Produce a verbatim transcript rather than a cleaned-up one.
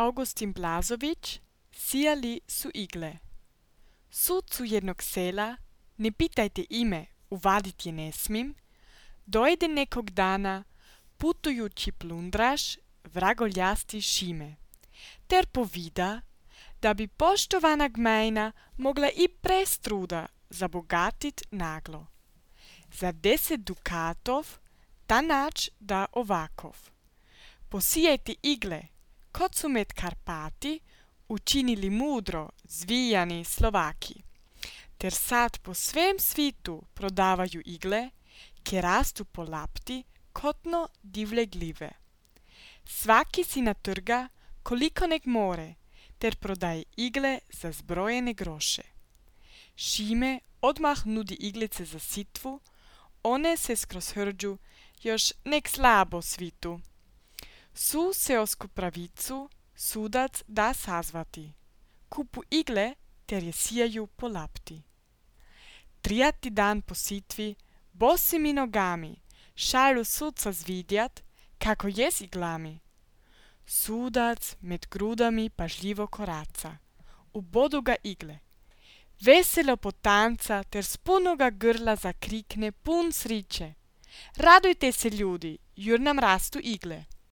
Augustin Blazović, sijali su igle. Sucu jednog sela, ne pitajte ime, uvadit je ne smim, dojde nekog dana putujući plundraš vragoljasti Šime, ter povida, da bi poštovana gmajna mogla i prestruda zabogatit naglo. Za deset dukatov ta nač da ovakov. Posijajte igle, kot su med Karpati učinili mudro zvijani Slovaki, ter sad po svem svitu prodavaju igle, ki rastu po lapti kotno divle glive. Svaki si natrga, koliko nek more, ter prodaje igle za zbrojene groše. Šime odmah nudi iglice za sitvu, one se skroz hrđu još nek slabo svitu. Su seosku pravicu sudac da sazvati. Kupu igle, ter je sijaju po lapti. Trijati dan po sitvi, bosimi nogami, šalu sudca zvidjat, kako je s iglami. Sudac med grudami pažljivo koraca. Ubodu ga igle. Veselo potanca ter s punoga grla zakrikne pun sriče. Radujte se ljudi, jur nam rastu igle.